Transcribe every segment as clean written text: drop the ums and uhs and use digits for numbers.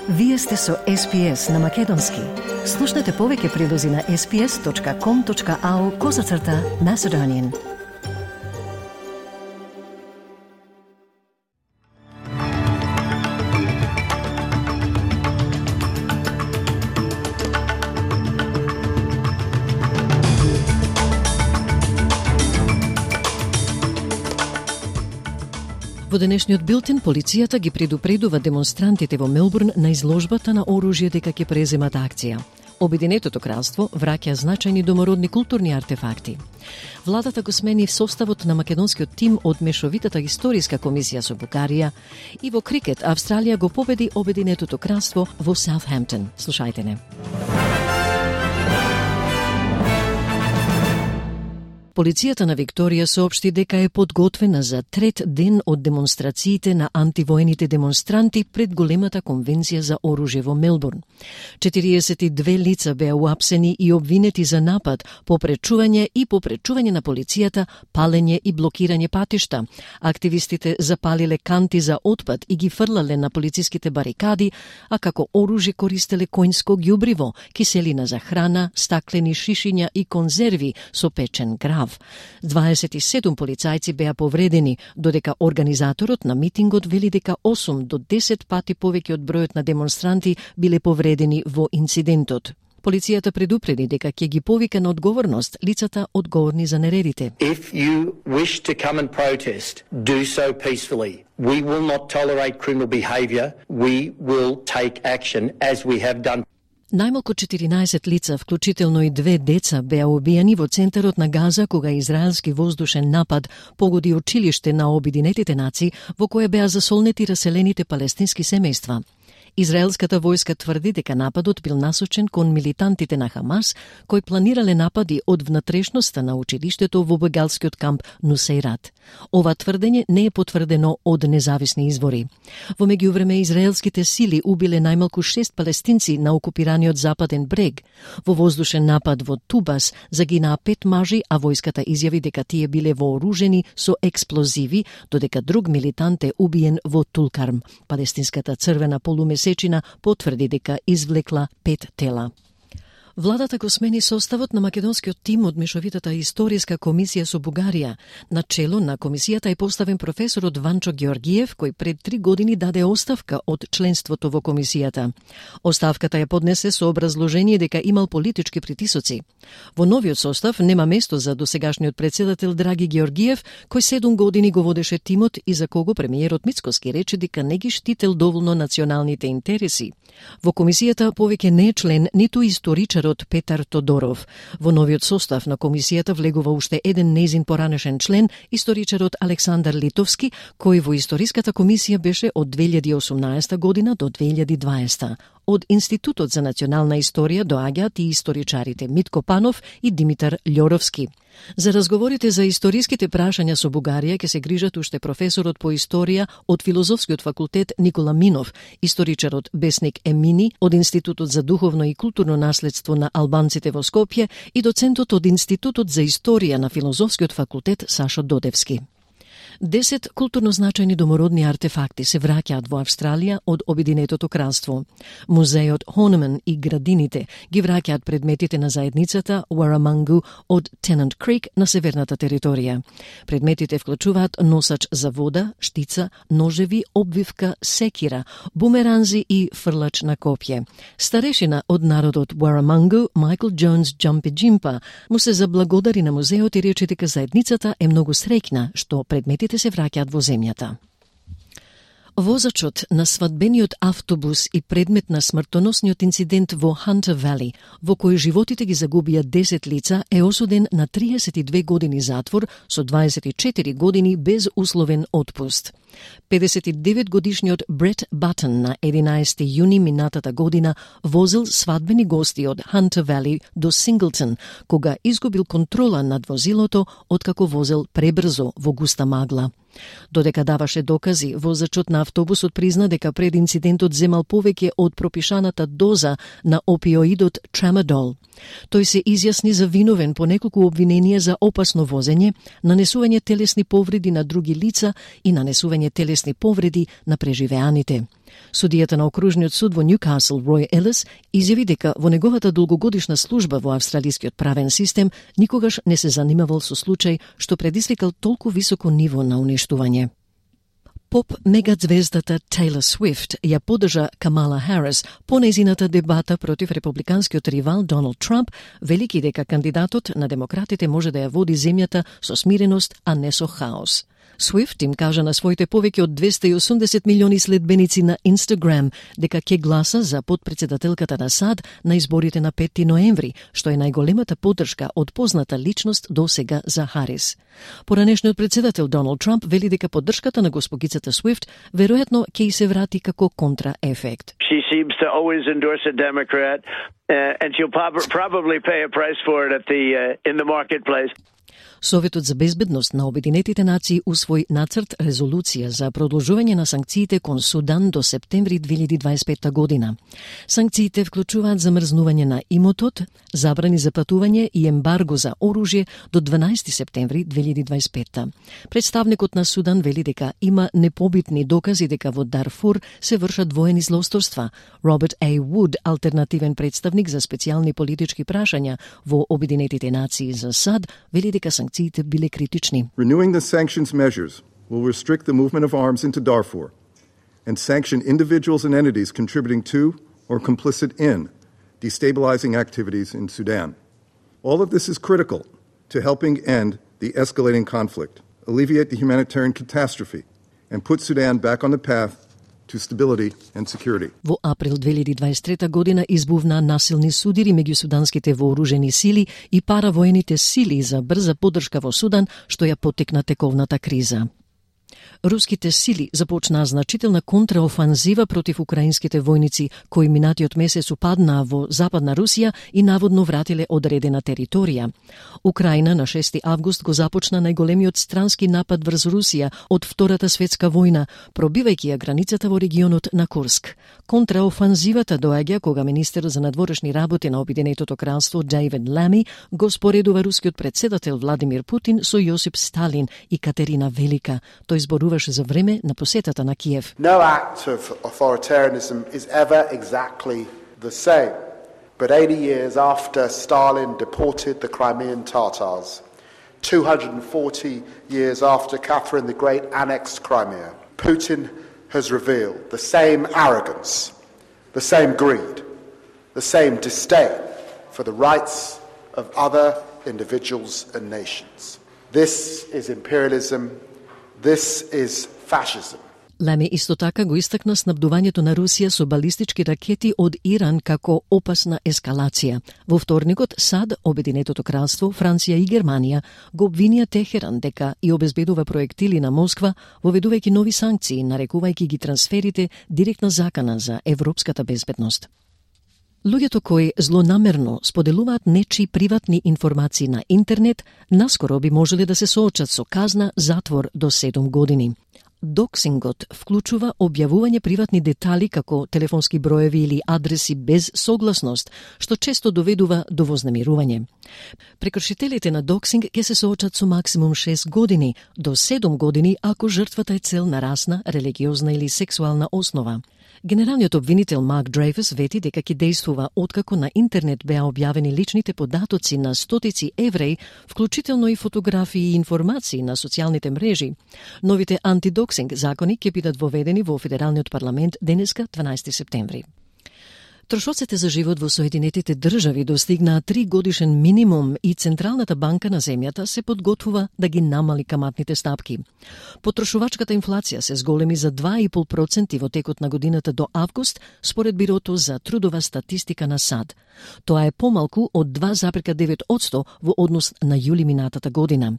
Вие сте со SPS на Македонски. Слушнете повеќе прилози на sps.com.au/Macedonian. Во денешниот билтен, полицијата ги предупредува демонстрантите во Мелбурн на изложбата на оружје дека ќе преземат акција. Обединетото кралство враќа значајни домородни културни артефакти. Владата го смени составот на македонскиот тим од мешовитата историска комисија со Бугарија и во крикет Австралија го победи Обединетото кралство во Саутхемптон. Слушајте не. Полицијата на Викторија соопшти дека е подготвена за трет ден од демонстрациите на антивоените демонстранти пред големата конвенција за оружје во Мелбурн. 42 лица беа уапсени и обвинети за напад, попречување на полицијата, палење и блокирање патишта. Активистите запалиле канти за отпад и ги фрлале на полициските барикади, а како оружје користеле коњско ѓубриво, киселина за храна, стаклени шишиња и конзерви со печен грав. 27 полицајци беа повредени, додека организаторот на митингот вели дека 8 до 10 пати повеќе од бројот на демонстранти биле повредени во инцидентот. Полицијата предупреди дека ќе ги повика на одговорност лицата одговорни за нередите. If you wish to come and protest, do so peacefully. We will not tolerate criminal behaviour. We will take action as we have done. Најмалку 14 лица, вклучително и 2 деца, беа убиени во центарот на Газа кога израелски воздушен напад погоди училиште на Обединетите нации во кое беа засолнети раселените палестински семејства. Израелската војска тврди дека нападот бил насочен кон милитантите на Хамас, кои планирале напади од внатрешноста на училиштето во бегалскиот камп Нусейрат. Ова тврдење не е потврдено од независни извори. Во меѓувреме, израелските сили убиле најмалку 6 палестинци на окупираниот западен брег. Во воздушен напад во Тубас загинаа 5 мажи, а војската изјави дека тие биле вооружени со експлозиви, додека друг милитант е убиен во Тулкарм. Палестинската црвена полумесечина потврди дека извлекла 5 тела. Владата го смени составот на македонскиот тим од мешовитата историска комисија со Бугарија. На чело на комисијата е поставен професорот Ванчо Георгиев, кој пред 3 години даде оставка од членството во комисијата. Оставката ја поднесе со образложение дека имал политички притисоци. Во новиот состав нема место за досегашниот председател Драги Георгиев, кој 7 години го водеше тимот и за кого премиерот Мицкоски рече дека не ги штител доволно националните интереси. Во комисијата повеќе не е член ниту историчарот Петар Тодоров. Во новиот состав на комисијата влегува уште еден нејзин поранешен член, историчарот Александар Литовски, кој во историската комисија беше од 2018 година до 2020. Од Институтот за национална историја доаѓаат и историчарите Митко Панов и Димитар Љоровски. За разговорите за историските прашања со Бугарија ќе се грижат уште професорот по историја од Филозофскиот факултет Никола Минов, историчарот Бесник Емини од Институтот за духовно и културно наследство на албанците во Скопје и доцентот од Институтот за историја на Филозофскиот факултет Сашо Додевски. 10 културно значајни домородни артефакти се враќаат во Австралија од Обединетото кралство. Музејот Horniman и градините ги враќаат предметите на заедницата Warramungu од Tennant Creek на северната територија. Предметите вклучуваат носач за вода, штица, ножеви, обвивка, секира, бумеранзи и фрлач на копје. Старешина од народот Warramungu, Майкл Джонс Джампи-Джимпа, му се заблагодари на музеот и рече дека заедницата е многу среќна што предметите се враќаат во земјата. Возачот на свадбениот автобус и предмет на смртоносниот инцидент во Хантер Вали, во кој животите ги загубија 10 лица, е осуден на 32 години затвор со 24 години без условен отпуст. 59-годишниот Брет Батон на 11 јуни минатата година возил свадбени гости од Хантер Вали до Синглтон, кога изгубил контрола над возилото откако возел пребрзо во густа магла. Додека даваше докази, возачот на автобусот призна дека пред инцидентот земал повеќе од пропишаната доза на опиоидот Tramadol. Тој се изјасни за виновен по неколку обвиненија за опасно возење, нанесување телесни повреди на други лица и нанесување телесни повреди на преживеаните. Судијата на окружниот суд во Ньюкасл, Рој Елис, изјави дека во неговата долгогодишна служба во австралискиот правен систем никогаш не се занимавал со случај што предизвикал толку високо ниво на уништување. Поп мегазвездата Тейлор Свифт ја поддржа Камала Харис по нејзината дебата против републиканскиот ривал Доналд Трамп, велики дека кандидатот на демократите може да ја води земјата со смиреност, а не со хаос. Свифт им кажа на своите повеќе од 280 милиони следбеници на Инстаграм дека ќе гласа за подпредседателката на САД на изборите на 5 ноември, што е најголемата поддршка од позната личност до сега за Харис. Поранешниот председател Доналд Трамп вели дека поддршката на госпогицата Свифт веројатно ќе и се врати како контраефект. She seems to always endorse a Democrat, and she'll probably pay a price for it in the marketplace. Советот за безбедност на Обединетите нации усвои нацрт резолуција за продолжување на санкциите кон Судан до септември 2025 година. Санкциите вклучуваат замрзнување на имотот, забрани за патување и ембарго за оружје до 12 септември 2025. Представникот на Судан вели дека има непобитни докази дека во Дарфур се вршат воени злосторства. Роберт А. Вуд, алтернативен представник за специјални политички прашања во Обединетите нации за САД, вели дека санкциите биле критични. Renewing the sanctions measures will restrict the movement of arms into Darfur and sanction individuals and entities contributing to or complicit in destabilizing activities in Sudan. All of this is critical to helping end the escalating conflict, alleviate the humanitarian catastrophe, and put Sudan back on the path to stability and security. Во април 2023 година избувна насилни судири меѓу суданските вооружени сили и паравоените сили за брза поддршка во Судан, што ја поттикна тековната криза. Руските сили започнаа значителна контраофанзива против украинските војници, кои минатиот месец упаднаа во западна Русија и наводно вратиле одредена територија. Украина на 6 август го започна најголемиот странски напад врз Русија од Втората светска војна, пробивајќи ја границата во регионот на Курск. Контраофанзивата доаѓа кога министерот за надворешни работи на Обединетото кралство Дейвид Лами го споредува рускиот председател Владимир Путин со Јосип Сталин и Катерина Велика. Тој зборуваше за време на посетата на Киев. No act of authoritarianism is ever exactly the same. But 80 years after Stalin deported the Crimean Tatars, 240 years after Catherine the Great annexed Crimea, Putin has revealed the same arrogance, the same greed, the same disdain for the rights of other individuals and nations. This is imperialism. This is fascism. Лами исто така го истакна снабдувањето на Русија со балистички ракети од Иран како опасна ескалација. Во вторникот САД, Обединетото кралство, Франција и Германија го обвинија Техеран дека и обезбедува проектили на Москва, воведувајќи нови санкции, нарекувајќи ги трансферите директна закана за европската безбедност. Луѓето кои злонамерно споделуваат нечии приватни информации на интернет, наскоро би можеле да се соочат со казна затвор до 7 години. Доксингот вклучува објавување приватни детали како телефонски броеви или адреси без согласност, што често доведува до вознемирување. Прекршителите на доксинг ќе се соочат со максимум 6 години до 7 години ако жртвата е цел на расна, религиозна или сексуална основа. Генералниот обвинител Марк Дрейфус вети дека ќе действува откако на интернет беа објавени личните податоци на стотици евреи, вклучително и фотографии и информации на социјалните мрежи. Новите антидоксинг закони ќе бидат воведени во Федералниот парламент денеска 12 септември. Трошоците за живот во Соединетите држави достигнаа 3 годишен минимум и Централната банка на земјата се подготвува да ги намали каматните стапки. Потрошувачката инфлација се зголеми за 2,5% во текот на годината до август, според Бирото за трудова статистика на САД. Тоа е помалку од 2,9% во однос на јули минатата година.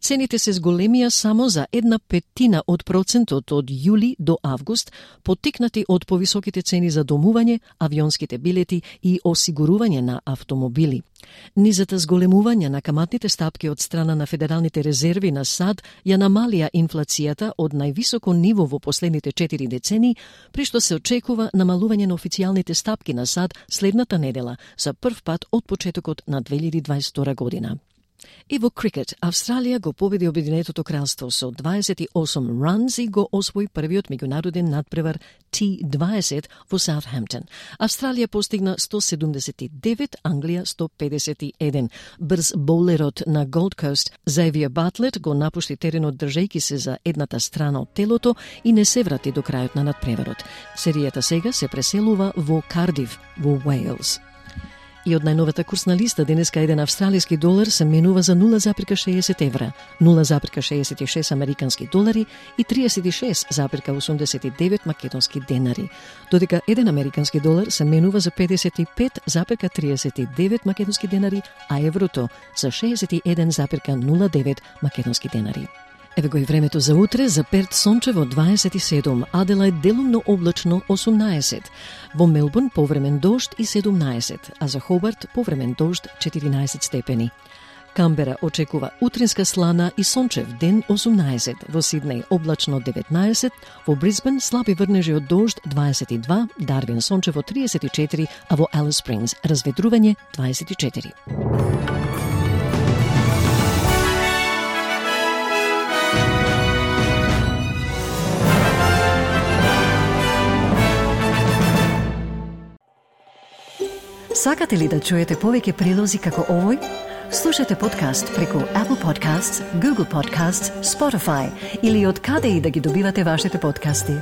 Цените се зголемија само за 0,1% од процентот од јули до август, поттикнати од повисоките цени за домување, авионските билети и осигурување на автомобили. Низата зголемување на каматните стапки од страна на Федералните резерви на САД ја намалија инфлацијата од највисоко ниво во последните 4 децении, при што се очекува намалување на официјалните стапки на САД следната недела за прв пат од почетокот на 2022 година. И во крикет, Австралија го победи Обединетото кралство со 28 runs и го освои првиот меѓународен надпревар T20 во Саутхемптон. Австралија постигна 179, Англија 151. Брз боулерот на Голд Кост Xavier Bartlett го напушти теренот држејќи се за едната страна од телото и не се врати до крајот на надпреварот. Серијата сега се преселува во Кардив, во Уејлс. И од најновата курсна листа денеска еден австралиски долар се менува за 0,60 евра, 0,66 американски долари и 36,89 македонски денари, додека еден американски долар се менува за 55,39 македонски денари, а еврото за 61,09 македонски денари. Еве го и времето за утре. За Перт сончево 27, Аделајд делумно облачно 18, во Мелбурн повремен дожд и 17, а за Хобарт повремен дожд 14 степени. Камбера очекува утринска слана и сончев ден 18, во Сиднеј облачно 19, во Брисбен слаби врнежи од дожд 22, Дарвин сончево 34, а во Алис Спрингс разведрување 24. Сакате ли да чуете повеќе прилози како овој? Слушате подкаст преку Apple Podcasts, Google Podcasts, Spotify или од каде и да ги добивате вашите подкасти.